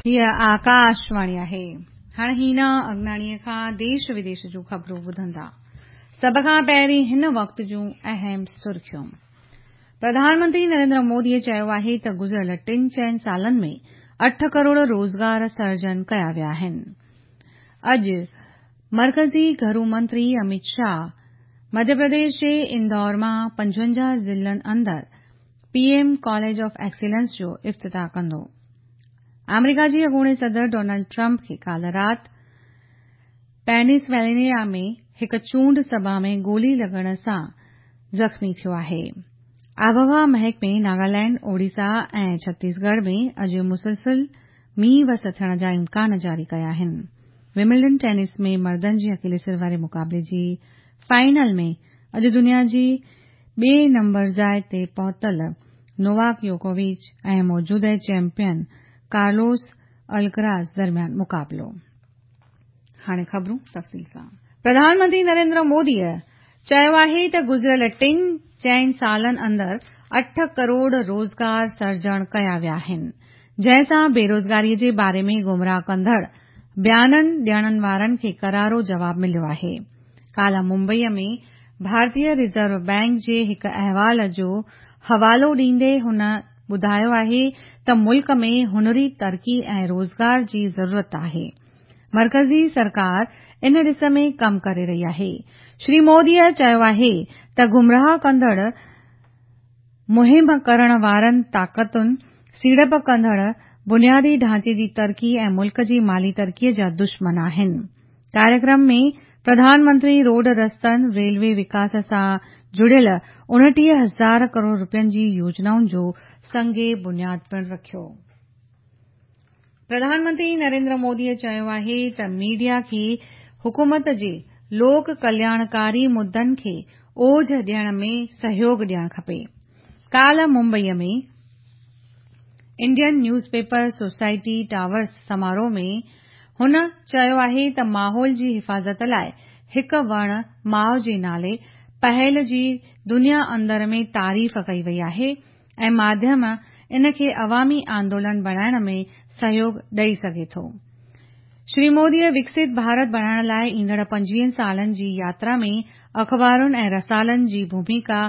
هيء آڪاشواڻي آهي. هاڻ هينا اگناڻيء کان ديش وديش جون خبرون ٻڌندا. سڀ کان پهرين هن وقت جون اهم سرخيون. پرڌان منتري نريندر موديء چيو آهي ته گذريل ٽن چئن سالن ۾ 8 ڪروڙ روزگار سرجن ڪيا ويا آهن. اڄ مرڪزي گهرو منتري اميت شاهه مڌيه پرديش جي اندور مان 55 ضلعن اندر P M college of excellence جو افتتاح ڪندو. آمريڪا جي اڳوڻي صدر ڊونلڊ ٽرمپ کي ڪالهه رات پينسلوانيا ۾ هڪ چونڊ سڀا ۾ گولي لڳڻ سان زخمي ٿيو آهي. آبهوا محڪمي ناگالينڊ، اوڙيسا ۽ ڇتيسڳڙهه ۾ اڄ مسلسل مينهن وس ٿيڻ جا امڪان جاري ڪيا آهن. ومبلڊن ٽينس ۾ مردن جي اڪيلي سر واري مقابلي جي فائنل ۾ اڄ دنيا جي ٻئي نمبر جاء تي پهتل نوواڪ يوڪووچ ۽ موجوده چيمپيئن ڪارلوس الڪراز درميان مقابلو. هاڻي خبرون تفصيل سان. پرڌان منتري نريندر موديء چيو آهي ته گذريل ٽن چئن سالن اندر 8 ڪروڙ روزگار سرجڻ ڪيا ويا آهن، جنهن سان بيروزگاري جي باري ۾ گمراهه ڪندڙ بيانن ڏيڻ وارن کي ڪرارو جواب مليو آهي. ڪالهه ممبئيء ۾ ڀارتيه ريزرو بئنڪ جي هڪ احوال جو حوالو ڏيندي هن ٻڌايو آهي ته ملڪ ۾ هنري ترقي ۽ روزگار جي ضرورت آهي. مرڪزي سرڪار ان ڏس ۾ ڪم ڪري رهي آهي. شري موديء چيو آهي ته گمراهه ڪندڙ مهم ڪرڻ وارن طاقتن سيڙپ ڪندڙ بنيادي ڍانچي جي ترقي ۽ ملڪ جي مالي ترقي جا دشمن آهن. ڪاريڪرم ۾ پرڌان منتري روڊ رستن، ريلوي وڪاس سان جڙيل 29 هزار ڪروڙ رپين جي يوجنائن جو سنگ بنياد پڻ رکيو. پرڌان منتري نريندر موديء چيو آهي ته ميڊيا کي حڪومت جي لوڪ ڪلياڻڪاري مدن کي اوجهه ڏيڻ ۾ سهيوڳ ڏيڻ کپي. ڪالهه ممبئيء ۾ Indian news paper society towers سماروهه ۾ هن چيو آهي ته ماحول جي حفاظت لاء هڪ وڻ ماء جي نالي پهل جي دنيا اندر ۾ تعريف ڪئي وئي آهي ۽ ماڌيم ان کي عوامي آندولن بڻائڻ ۾ سهيوڳ ڏئي سگهي ٿو. شري موديء وڪست ڀارت بڻائڻ لاء ايندڙ 25 سالن جي ياترا ۾ اخبارن ۽ رسالن جي ڀوميڪا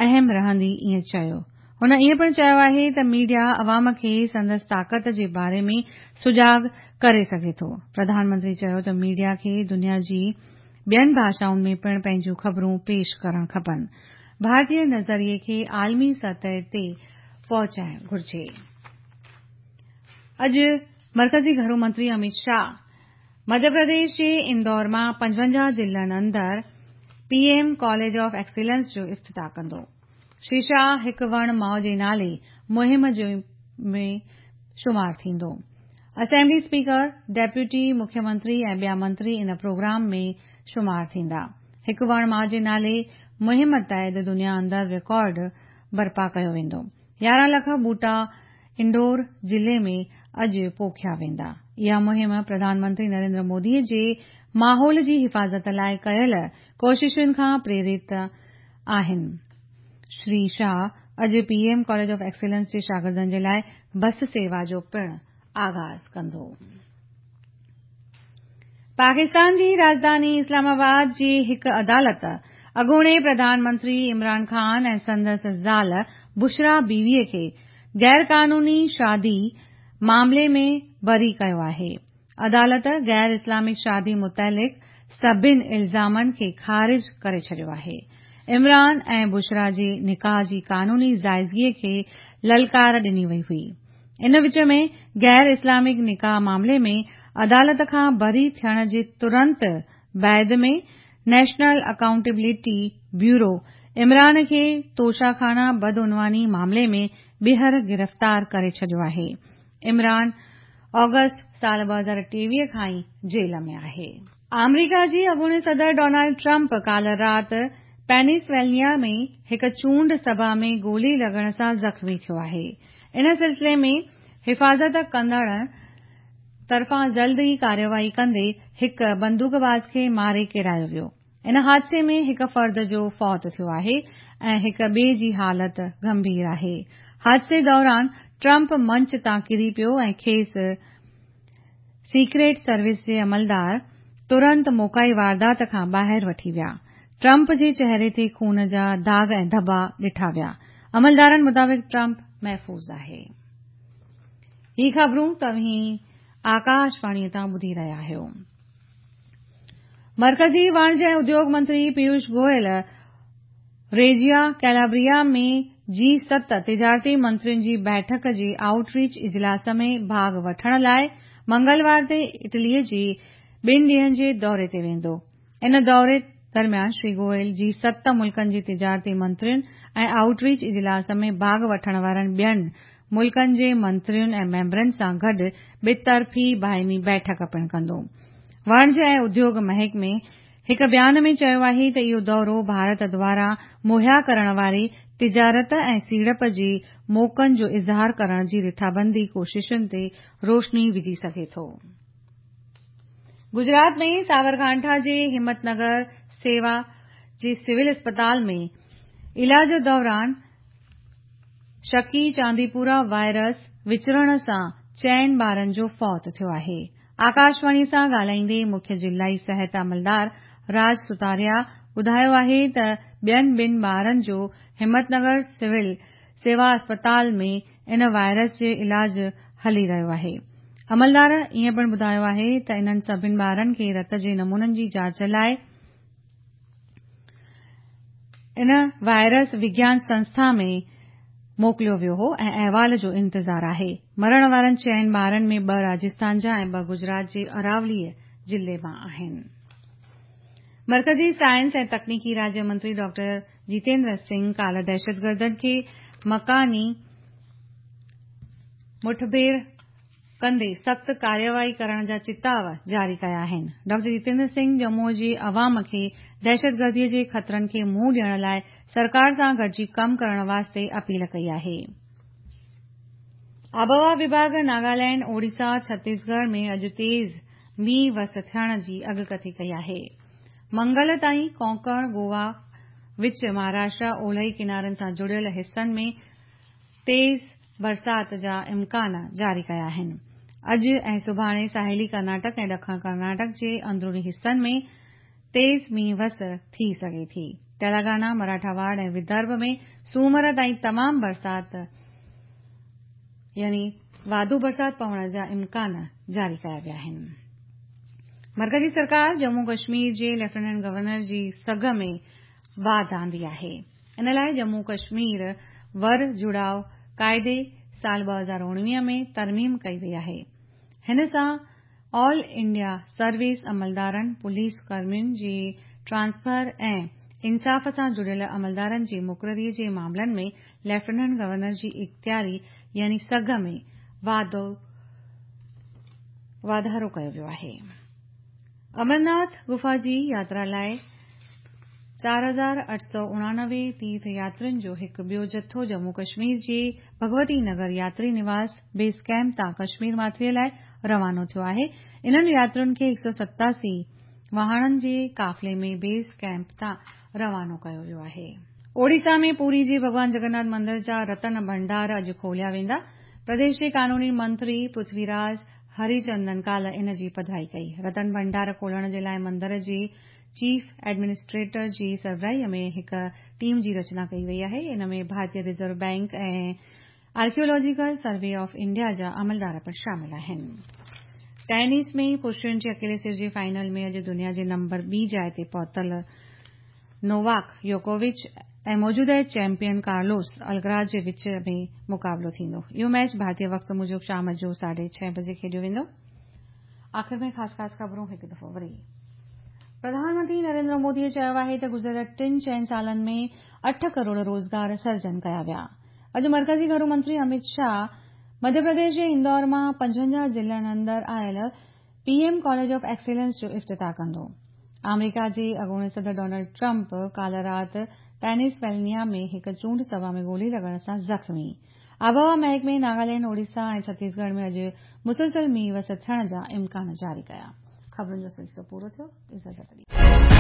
اهم رهندي ائين چيو. هن ائين پڻ چيو آهي ته ميڊيا عوام کي سندس طاقت جي باري ۾ سجاڳ ڪري سگهي ٿو. پرڌان منتري چيو ته ميڊيا کي دنيا جي ٻين ڀاشائن ۾ پڻ پنهنجون خبرون پيش ڪرڻ کپن. ڀارتي نظريي کي عالمي سطح تي پهچائڻ گهرجي. اڄ مرڪزي گهرو منتري اميت شاهه مڌيه پرديش جي اندور مان 55 ضلعن اندر P M college of excellence جو افتتاح ڪندو. شري شاهه هڪ وڻ ماء جي نالي مهم ۾ شمار ٿيندو. اسيمبلي اسپيڪر، ڊيپوٽي مکيه منتري ۽ ٻيا منتري ان پروگرام ۾ شمار ٿيندا. هڪ وڻ ماء جي نالي مهم تحت دنيا اندر رڪارڊ برپا ڪيو ويندو. 11 لک ٻوٽا انڊور ضلعي ۾ اڄ پوکيا ويندا. اها مهم پرڌان منتري نريندر مودي جي ماحول جي حفاظت لاء ڪيل ڪوششن کان پريرت آهن. شري شاهه اڄ P M college of excellence جي شاگردن جي لاء بس سيوا جو پڻ آغاز ڪندو. پاڪستان جي راڄڌاني اسلام آباد جي هڪ عدالت اڳوڻي پرڌان منتري عمران خان ۽ سندس زال بشريٰ بيوي کي غيرقانوني شادي معاملي ۾ بري ڪيو آهي. عدالت غير اسلامڪ شادي متعلق سڀني الزامن کي خارج ڪري ڇڏيو آهي. عمران ۽ بشريٰ جي نڪاح جي قانوني جائزگي کي للڪار ڏني وئي هئي. ان وچ ۾ غير اسلامڪ نڪاح معاملي ۾ عدالت کان بري ٿيڻ جي ترنت بعد ۾ نيشنل اڪائونٽيبلٽي بيورو عمران کي توشا خانه بدعنواني معاملي ۾ ٻيهر گرفتار ڪري ڇڏيو آهي. عمران آگسٽ سال 2023 کان ئي جيل ۾ آهي. آمريڪا جي اڳوڻي صدر ڊونلڊ ٽرمپ ڪالهه رات پينسلوانيا ۾ هڪ چونڊ سڀا ۾ گولي لڳڻ سان زخمي ٿيو آهي. ان سلسلي ۾ حفاظت ڪندڙن طرفان جلد ئي ڪارروائي ڪندي هڪ بندوقباز کي ماري ڪيرايو ويو. ان حادثي ۾ هڪ فرد جو فوت ٿيو آهي ۽ هڪ ٻئي جي حالت گنڀير آهي. حادثي دوران ٽرمپ منچ تان ڪري پيو ۽ کيس سيڪريٽ سروس جي عملدار ترنت موقعي واردات کان ٻاهر وٺي ويا. ٽرمپ جي چهري تي خون جا داغ ۽ ڌٻا ڏٺا ويا. عملدارن مطابق ٽرمپ محفوظ آهي. هي خبرون توهين آڪاشواڻي تان ٻڌي رهيا آهيو. مرڪزي واڻج ۽ اديوگ منتري پيوش گوئل ريجيا ڪيلابريا ۾ جي 7 تجارتي منترين جي بيٺڪ جي آئوٽ ريچ اجلاس ۾ ڀاڳ وٺڻ لاء منگلوار تي اٽلي جي ٻن ڏينهن جي دوري تي ويندو. ان دوري درميان شري گوئل جي 7 ملڪن جي تجارتي منترين ۽ آئوٽ ريچ اجلاس ۾ ڀاڳ وٺڻ وارن ٻين ملڪن جي منترين ۽ ميمبرن سان گڏ ٻطرفي باهمي بيٺڪ پڻ ڪندو. واڻج ۽ اديوگ محڪمي هڪ بيان ۾ چيو آهي ته اهو دورو ڀارت دواران مهيا ڪرڻ واري تجارت ۽ سيڙپ جي موقعن جو اظهار ڪرڻ جي رٿابندي ڪوششن تي روشني وجهي سگهي ٿو. گجرات ۾ ساورڪانٺا جي همت نگر سيوا جي سول اسپتال ۾ علاج دوران شڪي چانديپورا وائرس وچرڻ سان چئن ٻارن جو فوت ٿيو آهي. آڪاشواڻي سان ڳالهائيندي مکيه ضلعي صحت عملدار راج ستاريا ٻڌايو آهي ته ٻين ٻن ٻارن جو همت نگر سول سيوا اسپتال ۾ ان وائرس جي علاج هلي رهيو آهي. عملدار ائين پڻ ٻڌايو آهي ته انهن سڀني ٻارن کي رت جي نمونن جي جاچ لاء ان وائرس وگيان سنسٿا ۾ موڪليو ويو هو ۽ احوال جو انتظار آهي. مرڻ وارن چئن ٻارن ۾ ٻه راجسٿان جا ۽ ٻه گجرات جي اراولي ضلعي مان آهن. مرڪزي سائنس ۽ تڪنيڪي راجيه منتري ڊاڪٽر جيتيندر سنگهه ڪالهه دهشتگردن کي مڪاني مٺڀيڙ ڪندي سخت ڪارروائي ڪرڻ جا چتاء جاري ڪيا آهن. ڊاڪٽر جتيندر سنگهه ڄمون جي عوام کي دهشتگردي جي خطرن کي منهن ڏيڻ لاء سرڪار سان گڏجي ڪم ڪرڻ واسطي اپيل ڪئي آهي. آبهوا وڀاڳ ناگالينڊ، اوڙيسا، ڇتيسڳڙهه ۾ اڄ تيز مينهن وس ٿيڻ جي اڳڪٿي ڪئي آهي. منگل تائين ڪونڪڻ، گوا، وچ مهاراشٽرا، اولهي ڪنارن سان جڙيل حصن ۾ تيز برسات جا امڪان جاري ڪيا آهن. اڄ ۽ سڀاڻي ساحلي ڪرناٽڪ ۽ ڏکڻ ڪرناٽڪ جي اندروني حصن ۾ تيز مينهن وس ٿي سگهي ٿي. تيلنگانا، مراٺاواڙ ۽ ودرڀ ۾ سومر تائين تمام برسات يعني واڌو برسات پوڻ جا امڪان جاري ڪيا ويا آهن. مرڪزي سرڪار ڄمون ڪشمير جي ليفٽيننٽ گورنر جي سگهه ۾ واڌ آندي آهي. ان لاء ڄمون ڪشمير ور جڙاء قاعدي سال 2019 ۾ ترميم ڪئي وئي آهي. هن سان آل انڊيا سروس عملدارن، پوليس ڪرمين جي ٽرانسفر ۽ انصاف سان جڙيل عملدارن جي مقرري جي معاملن ۾ ليفٽيننٽ گورنر جي اختياري يعني سگهه ۾ واڌارو ڪيو ويو آهي. امرناٿ غفا جي ياترا لاء 4889 تيرٿ ياترين جو هڪ ٻيو جٿو ڄمون ڪشمير جي ڀڳوتي نگر ياتري نواس بيس ڪئمپ تان ڪشمير ماٿري لاء روانو ٿيو آهي. انهن ياترين کي 187 واهڻن جي قافلي ۾ بيس ڪئمپ تان روانو ڪيو ويو آهي. اوڙيسا ۾ پوري جي ڀڳوان جگناٿ مندر جا رتن ڀنڊار اڄ کوليا ويندا. پرديش جي قانوني منتري پرٿوي راج هريچندن ڪالهه ان جي پڌرائي ڪئي. رتن ڀنڊار کولڻ جي لاء مندر جي چيف ايڊمنسٽريٽر جي سربراهي ۾ هڪ ٽيم جي رچنا ڪئي وئي آهي. ان ۾ ڀارتيه reserve bank ۽ archaeological survey of India جا عملدار پڻ شامل آهن. ٽينس ۾ پرشن جي اڪيلي سر جي فائنل ۾ اڄ دنيا جي نمبر ٻي جاء تي پهتل نوواڪ يوڪووچ ۽ موجوده چيمپيئن ڪارلوس الڪراز جي وچ ۾ مقابلو ٿيندو. اهو ميچ ڀارتي وقت موجب شام جو 6:30 بجي کيڏيو ويندو. آخر ۾ خاص خاص خبرون هڪ دفعو وري. پرڌان منتري نريندر مودي چيو آهي ته گذريل ٽن چئن سالن ۾ 8 ڪروڙ روزگار سرجن ڪيا ويا. اڄ مرڪزي گهرو منتري امت شاهه مڌيه پرديش جي اندور مان 55 ضلعن اندر آيل P M college of excellence جو افتتاح ڪندو. آمريڪا جي اڳوڻي صدر ڊونلڊ ٽرمپ ڪالهه رات پينسلوانيا ۾ هڪ چونڊ سڀا ۾ گولي لڳڻ سان زخمي. آبهوا محڪمي ناگالينڊ، اوڙيسا ۽ ڇتيسڳڙهه ۾ اڄ مسلسل مينهن وس ٿيڻ جا امڪان جاري ڪيا. خبرن جو سلسلو پورو ٿيو. اجازت ڏيو.